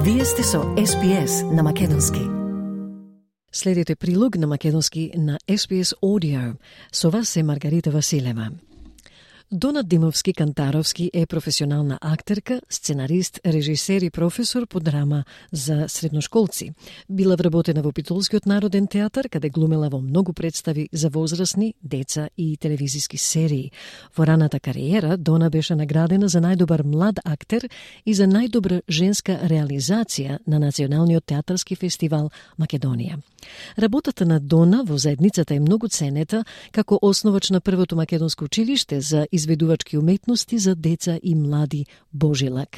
Вие сте со SPS на македонски. Следите прилог на македонски на SPS Audio. Со вас е Маргарита Василева. Дона Димовски-Кантаровски е професионална актерка, сценарист, режисер и професор по драма за средношколци. Била вработена во Питолскиот народен театар, каде глумела во многу представи за возрастни, деца и телевизиски серии. Во раната кариера Дона беше наградена за најдобар млад актер и за најдобра женска реализација на Националниот театарски фестивал Македонија. Работата на Дона во заедницата е многу ценета како основач на првото македонско училиште за изведувачки уметности за деца и млади Божилак.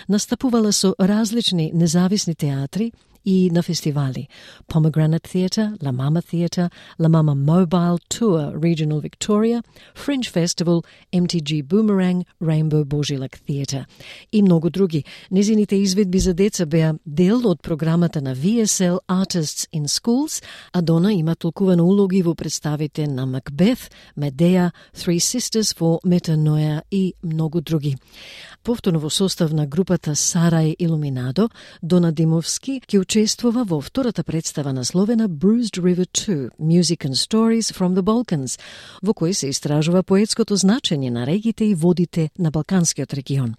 Настапувала со различни независни театри и на фестивали: Pomegranate Theatre, La Mama Theatre, La Mama Mobile Tour Regional Victoria, Fringe Festival, MTG Boomerang, Rainbow Boжилак Theatre и многу други. Незините изведби за деца беа дел од програмата на VSL Artists in Schools, а Дона има толкувано улоги во представите на Macbeth, Medea, Three Sisters for Metanoia и многу други. Повторно во состав на групата Сарај Илуминадо, Дона Димовски ќе учествува во втората представа насловена Bruised River 2, Music and Stories from the Balkans, во кој се истражува поетското значење на регите и водите на Балканскиот регион.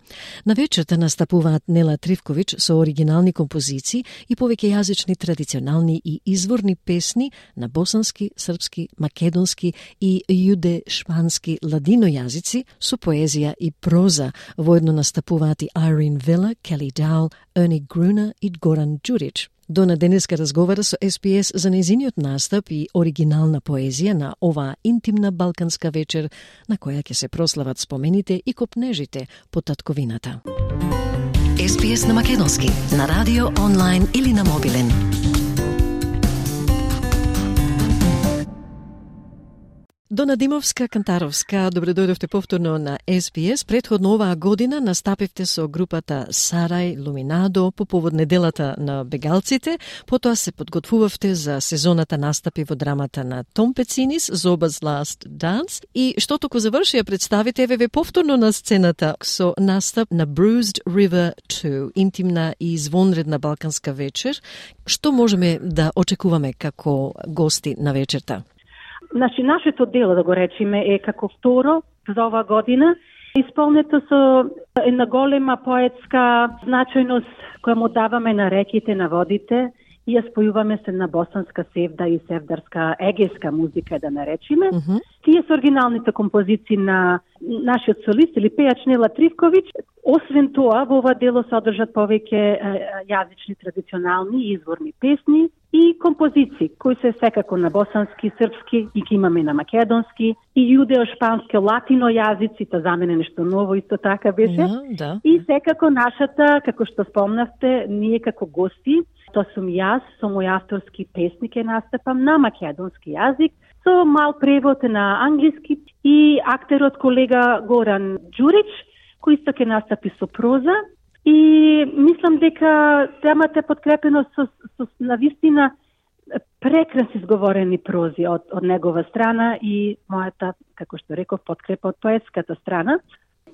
На вечерта настапуваат Нела Тривкович со оригинални композиции и повеќејазични традиционални и изворни песни на босански, српски, македонски и јуде-шпански ладино јазици со поезија и проза. Воедно настапуваат и Irene Villa, Kelly Dowell, Ernie Gruner и Горан Ѓурич. Дона денеска разговара со SPS за нејзиниот настап и оригинална поезија на оваа интимна балканска вечер, на која ќе се прослават спомените и копнежите по татковината. SPS на македонски, на радио, онлайн или на мобилен. Дона Димовска-Кантаровска, добре дојдовте повторно на SPS. Претходно оваа година настапивте со групата Сарај Илуминадо по повод неделата на бегалците, потоа се подготвувавте за сезоната настапи во драмата на Том Пецинис, Zoba's Last Dance, и што току завршија представите, еве повторно на сцената со настап на Bruised River 2, интимна и извонредна балканска вечер. Што можеме да очекуваме како гости на вечерта? Значи, нашето дело, да го речеме, е како второ за оваа година, исполнето со една голема поетска значајност која му даваме на реките, на водите, и ја спојуваме се на босанска севда и севдарска егејска музика, да наречиме. Тие се оригиналните композиции на нашиот солист или пејач Нела Тривкович. Освен тоа, во ова дело се одржат повеќе јазични, традиционални и изворни песни и композиции, кои се секако на босански, српски, и ги имаме на македонски, и јудео-шпански, латино јазици, тоа за мене нешто ново, исто така беше. Да. И секако нашата, како што спомнавте, ние како гости, тоа сум јас, со мој авторски песни ке настапам на македонски јазик, со мал превод на англиски, и актерот колега Горан Ѓурич, кој исто ке настапи со проза. И мислам дека темата е подкрепено со навистина прекрасно изговорени прози од негова страна и мојата, како што реков, подкрепа од поетската страна.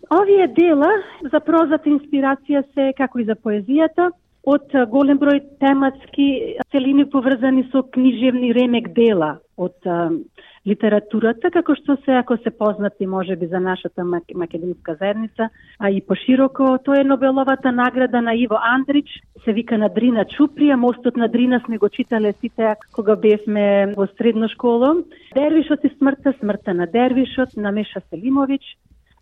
Овие дела за прозата инспирација се, како и за поезијата, од голем број тематски целини поврзани со книжевни ремек дела од литературата, како што се, ако се познати можеби за нашата македонска заедница, а и пошироко, тоа е Нобеловата награда на Иво Андрич, се вика на Дрина Чуприја, Мостот на Дрина сме го читале сите кога бевме во средна школа. Дервишот и смртта на Дервишот на Меша Селимович,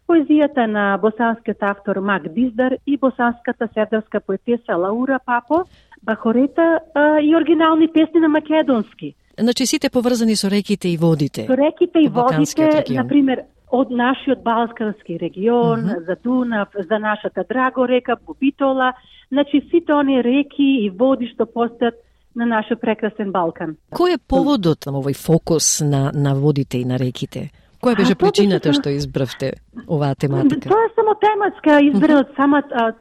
поезијата на босанскиот автор Мак Диздар и босанската севдарска поетеса Лаура Папо, Бахорета и оригинални песни на македонски. Значи сите поврзани со реките и водите. Со реките и водите, например, од нашиот Балкански регион, за Дунав, за нашата Драго река, Бубитола, значи сите оние реки и води што постојат на нашиот прекрасен Балкан. Кој е поводот на овој фокус на водите и на реките? Која беше причината што избравте оваа тематика? Тоа е само тематска избрана од самата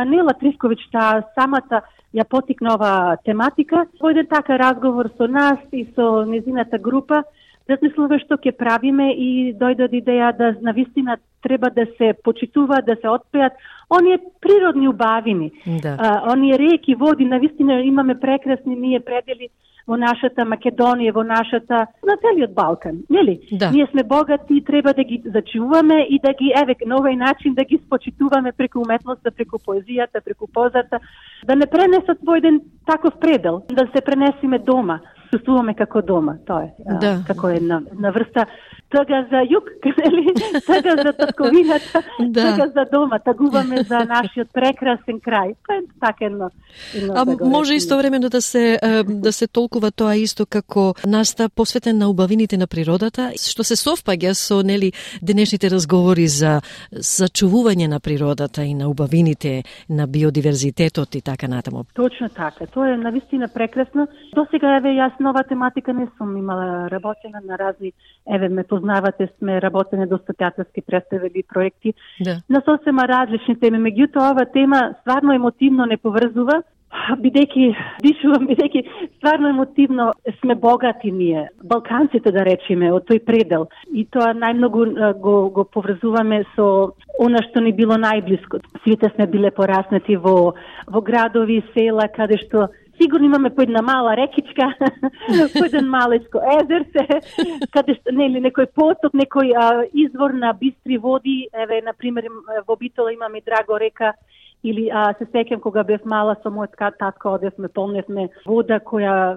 Нела Тривкович, самата ја потикна оваа тематика. Во еден така разговор со нас и со незината група, размислуваме што ќе правиме и дојде идеја да навистина треба да се почитува, да се отпеат оние природни убавини. Да. Оние реки, води, навистина имаме прекрасни ние предели во нашата Македонија, во нашата, на целиот Балкан, нели? Да. Ние сме богати и треба да ги зачуваме и да ги, на овој начин да ги спочитуваме преку уметноста, преку поезијата, преку позата, да не пренесат во еден таков предел, да се пренесиме дома, чувствуваме како дома, тоа е, да. како една врста тага за југ, нели? Тага за татковината, да. тага за дома, тагуваме за нашиот прекрасен крај. Тоа е така едно може истовремено да се толкува тоа исто како наста посветен на убавините на природата, што се совпаѓа со денешните разговори за зачувување на природата и на убавините, на биодиверзитетот и така натаму. Точно така. Тоа е навистина прекрасно. Досега јас нова тематика не сум имала работена на разни, ме познавате, сме работене доста театарски представи проекти на сосема различни теми. Меѓутоа, ова тема стварно емотивно не поврзува, бидејќи стварно емотивно сме богати ние, балканците да речеме, од тој предел. И тоа најмногу го поврзуваме со она што ни било најблиско. Сите сме биле пораснати во градови, села, каде што сигурно имаме по една мала рекичка, по еден малечко езерце, каде што некој поток, некој извор на бистри води. Например, во Битола имаме Драго река, или се сеќам кога бев мала со мојот татко одевме, помневме вода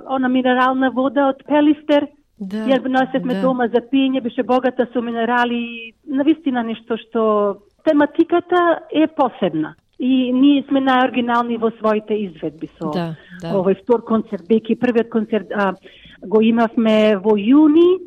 она минерална вода од Пелистер. Ја носевме дома за пиење, беше богата со минерали, навистина нешто што тематиката е посебна. И ние сме најоригинални во своите изведби со овој втор концерт, бејќи првиот концерт го имавме во јуни.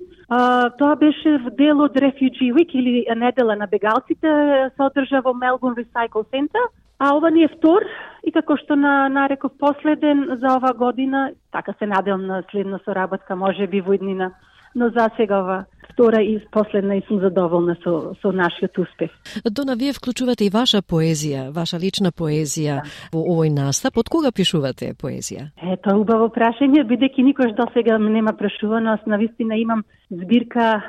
Тоа беше дел од Refugee Week или недела на бегалците, се одржа во Melbourne Recycle Center. А ова ни е втор и како што нареков последен за ова година, така се надевам на следна соработка, може би во иднина, но за сега ова втора и последна и сум задоволна со нашиот успех. Дона, вие вклучувате и ваша поезија, ваша лична поезија во овој настап. Од кога пишувате поезија? Тоа е убаво прашање, бидејќи никош до сега нема прашувано. Аз навистина имам збирка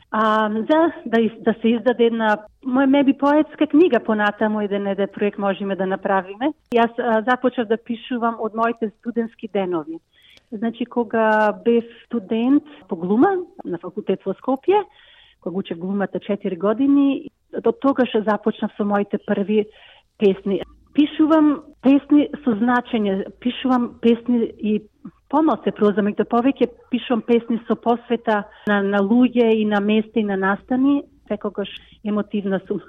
за да се издаде една моја поетска книга понатаму, еден проект можеме да направиме. Јас започнав да пишувам од моите студентски денови. Значи, кога бев студент по глума на факултет во Скопје, кога учев глумата 4 години, до тогаш започнав со моите први песни. Пишувам песни со значење, пишувам песни и помал се проза, меѓутоа повеќе пишувам песни со посвета на луѓе и на места и на настани, секогаш емотивна сум.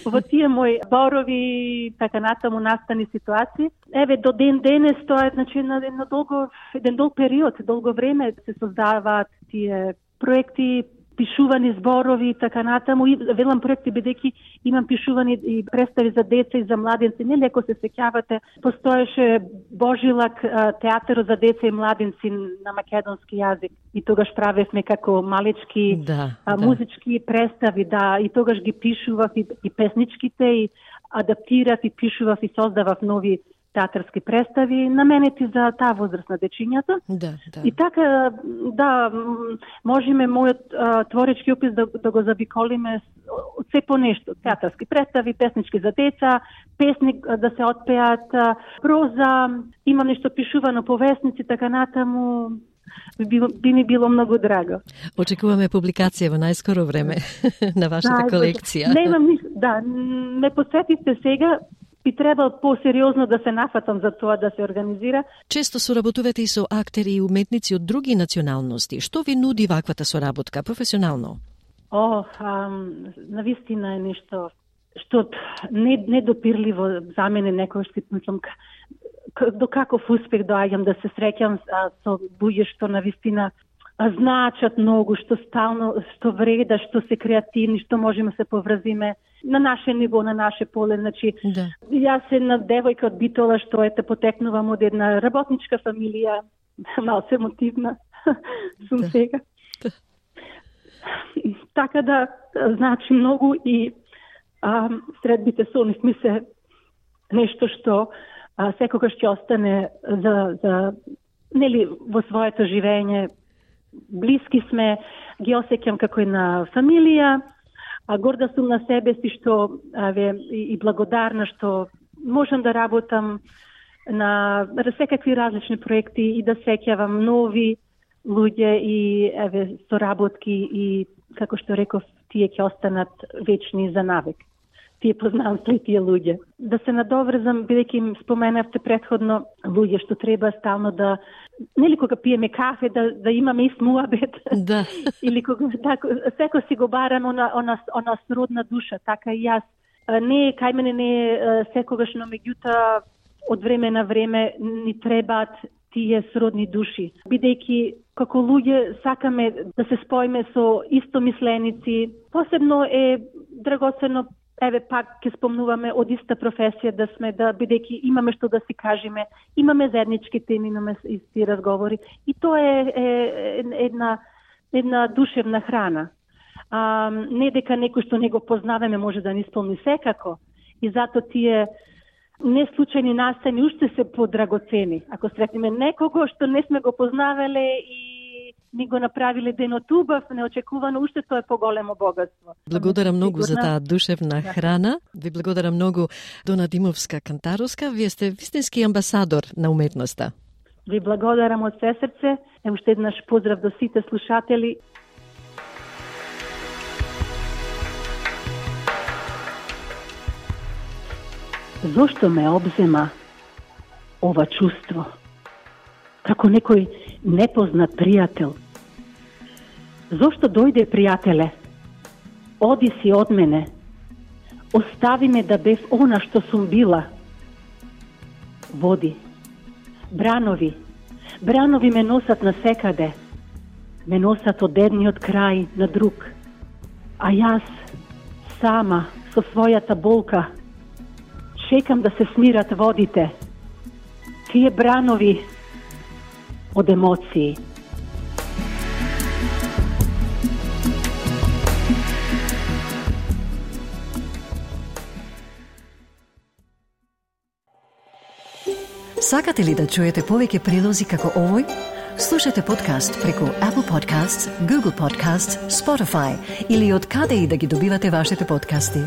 Во тие мои зборови, така натаму настани ситуации. До ден денес тоа е, значи, еден долг период, долго време се создаваат тие проекти, пишувани зборови и така натаму. И велам проекти бидејќи имам пишувани и представи за деца и за младенци. Нели, ако се сеќавате, постоеше Божилак театар за деца и младенци на македонски јазик. И тогаш правевме како малечки музички представи, и тогаш ги пишував и песничките, и адаптирав и пишував и создавав нови театарски представи, наменети за таа возраст на дечињата. И така, можеме мојот творечки опис да го завиколиме од се по нешто. Театарски представи, песнички за деца, песни да се отпеат, проза, има нешто пишувано по весници, така натаму. Би ми било многу драго. Очекуваме публикација во најскоро време на вашата колекција. Немам ништо, ме посетивте сега. Би требал посериозно да се нафатам за тоа да се организира. Често соработувате и со актери и уметници од други националности. Што ви нуди ваквата соработка професионално? Навистина е нешто што недопирливо за мене, некој што мислам до каков успех доаѓам да се среќам со луѓе што навистина значат многу, што вреда, што се креативни, што можеме се поврзиме на наше ниво, на наше поле. Значи, јас една девојка од Битола што потекнувам од една работничка фамилија, малку емотивна сум сега. Така да, значи многу и средбите со нив ми се нешто што секогаш ќе остане за нели во своето живење блиски сме, ги осеќам како една фамилија, а горда сум на себе си што и благодарна што можам да работам на секакви различни проекти и да сеќавам нови луѓе и соработки и како што реков, тие ќе останат вечни за навек. Тие познанства и тие луѓе. Да се надоврзам, бидејќи им споменавте претходно луѓе што треба стално да, нели кога пиеме кафе, да имаме ист муабет. Да. Или кога секој си го барам она сродна душа, така и јас. Не, кај мене не е секогаш, но меѓутоа од време на време ни требаат тие сродни души. Бидејќи како луѓе сакаме да се споиме со истомисленици, посебно е драгоцено, пак ќе спомнуваме од иста професија да сме, да бидејќи имаме што да си кажеме, имаме заеднички теми, имаме исти разговори и тоа е една душевна храна. Не дека некој што не го познаваме може да ни исполни секако и затоа тие не случајни настани уште се подрагоцени. Ако сретнеме некого што не сме го познавале и ни го направиле денот убав, неочекувано, уште тоа е поголемо богатство. Благодарам многу за таа душевна храна. Ви благодарам многу, Дона Димовска-Кантаровска. Вие сте вистински амбасадор на уметноста. Ви благодарам од се срце. Уште еднаш поздрав до сите слушатели. Зошто ме обзема ова чувство? Како некој непознат пријател. Зошто дојде пријателе? Оди си од мене. Остави ме да бев она што сум била. Води. Бранови. Бранови ме носат насекаде. Ме носат од едниот крај на друг. А јас, сама, со својата болка, чекам да се смират водите. Тие бранови од емоции. Сакате ли да чуете повеќе прилози како овој? Слушате подкаст преку Apple Podcasts, Google Podcasts, Spotify или од каде и да ги добивате вашите подкасти.